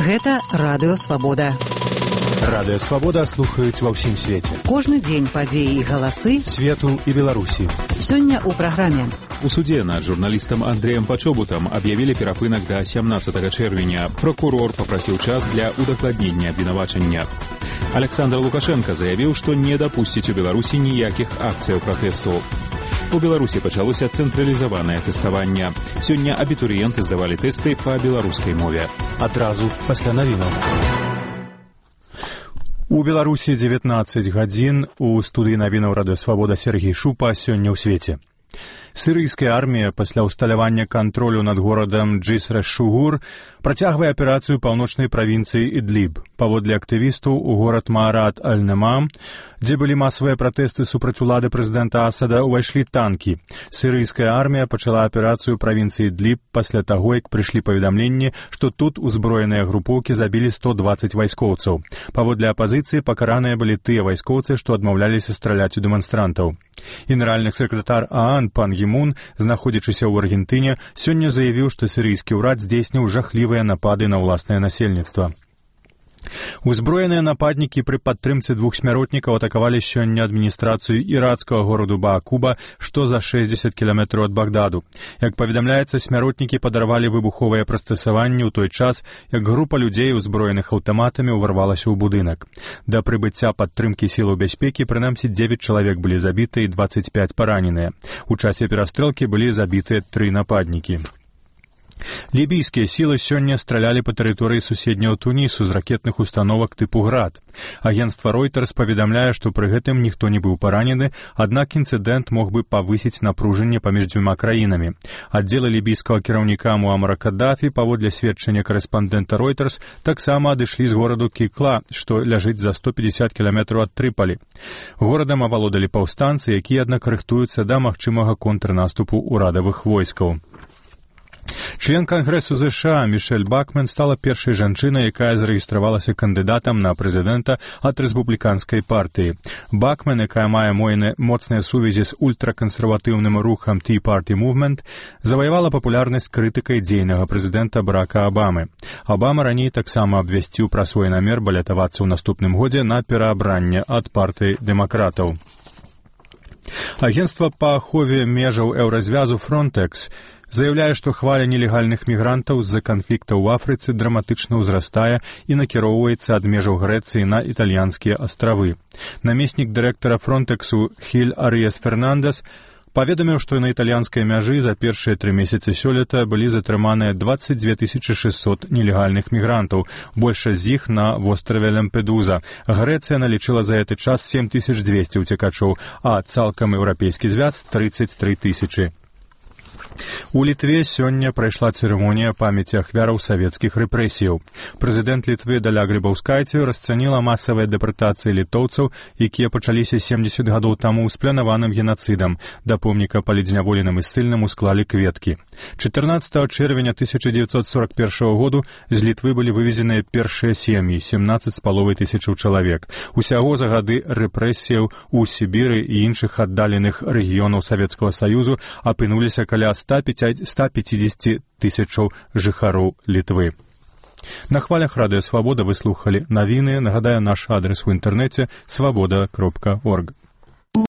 Гэта Радыё Свабода. Радыё Свабода слухаюць ва ўсім свеце. Кожны дзень падзеі і галасы свету і Беларусі. Сёння ў праграме. У суде над журналістам Андреем Пачобутам аб'явілі перапынак да 17 чэрвеня. Прокурор папрасіў час для удакладнення абвінавачання. Александр Лукашенко заявіў, што не дапусціць у Беларусі ніякіх акцыяў пратэсту. У Беларусі пачалося цэнтралізаванае тэставанне. Сёння абітурыенты здавалі тэсты па беларускай мове. Адразу пасля навінаў. У Беларусі 19 гадзін. У студыі навінаў Радыё Свабода Сергей Шупа. Сёння ў свеце. Сірыйская армія пасля ўсталявання кантролю над горадам Джиср-эш-Шугур працягвае аперацыю паўночнай правінцыі Ідліб. Паводле актывістаў, у горад Маарат-аль-Намам, дзе былі масавыя пратэсты супраць улады прэзідэнта Асада, увайшлі танкі. Сірыйская армія пачала аперацыю правінцыі Ідліб пасля таго, як прыйшлі паведамленні, што тут узброеныя групоўкі забілі 120 вайскоўцаў. Паводле апазіцыі пакараныя былі тыя вайскоўцы, што адмаўляліся страляць у дэманстрантаў. Генеральны сакратар ААН пан Гімун, знаходзячыся ў Аргентыне, сёння заявіў, што сірыйскі ўрад здзейсніў жахлівыя напады на ўласнае насельніцтва. Узброеныя нападнікі пры падтрымцы двух смяротнікаў атакавалі сёння адміністрацыю ірацкага гораду Баакуба, што за 60 кіламетраў ад Багдаду. Як паведамляецца, смяротнікі падарвалі выбуховыя прыстасаванні ў той час, як група людзей, узброеных аўтаматамі, уварвалася ў будынак. Да прыбыцця падтрымкі сілаў бяспекі прынамсі 9 чалавек былі забіты і 25 параненыя. У часе перастрэлкі былі забітыя 3 нападнікі. Лібійскія сілы сёння стралялі па тэрыторыі суседняга Тунісу з ракетных установак тыпу «Град». Агенцтва Reuters паведамляе, што пры гэтым ніхто не быў паранены, аднак інцыдэнт мог бы павысіць напружанне паміж дзвюма краінамі. Аддзелы лібійскага кіраўніка Муамара Каддафі, паводле сведчання карэспандэнта Reuters, таксама адышлі з гораду Кікла, што ляжыць за 150 кіламетраў ад Трыпалі. Горадам авалодалі паўстанцы, якія, аднак, рыхтуюцца да магчымага контрнаступу ўрадавых войскаў. Член Кангрэсу США Мішэль Бакмен стала першай жанчынай, якая зарэгістравалася кандыдатам на прэзідэнта ад рэспубліканскай партыі. Бакмен, якая мае моцныя сувязі з ультракансерватыўным рухам Tea Party Movement, заваявала папулярнасць крытыкай дзейнага прэзідэнта Барака Абамы. Абама раней таксама абвясціў пра свой намер балятавацца ў наступным годзе на пераабранне ад партыі дэмакратаў. Агенцтва па ахове межаў еўразвязу Frontex заяўляе, што хваля нелегальных мігрантаў з-за канфлікта ў Афрыцы драматычна ўзрастае і накіроўваецца ад межаў Грэцыі на італьянскія астравы. Намеснік дырэктара Фронтексу Хіль Арыес Фернандес паведаміў, што на італьянскай мяжы за першыя 3 месяцы сёлета былі затрыманыя 22 600 нелегальных мігрантаў, большасць з іх на востраве Лямпедуза. Грэцыя налічыла за гэты час 7200 уцекачоў, а цалкам еўрапейскі звяз 33 000. У Літве сёння прайшла цырымонія памяці ахвяраў савецкіх рэпрэсіяў. Прэзідэнт Літвы Даля Грыбаўскайце расцаніла масавыя дэпартацыі літоўцаў, якія пачаліся 70 гадоў таму з планаваным генацыдам. Да помніка палідзняволеным і ссыльным усклалі кветкі. 14 чэрвеня 1941 году з Літвы былі вывезеныя першыя сем'і, 17,5 тысячаў чалавек. Усяго за гады рэпрэсіяў у Сібіры і іншых аддаленых рэгіёнаў Савецкага Саюзу апынуліся каля 150 тысячаў жыхароў Літвы. На хвалях Радыё Свабода вы слухалі навіны. Нагадаю, наш адрес у інтэрнэце свабода.орг.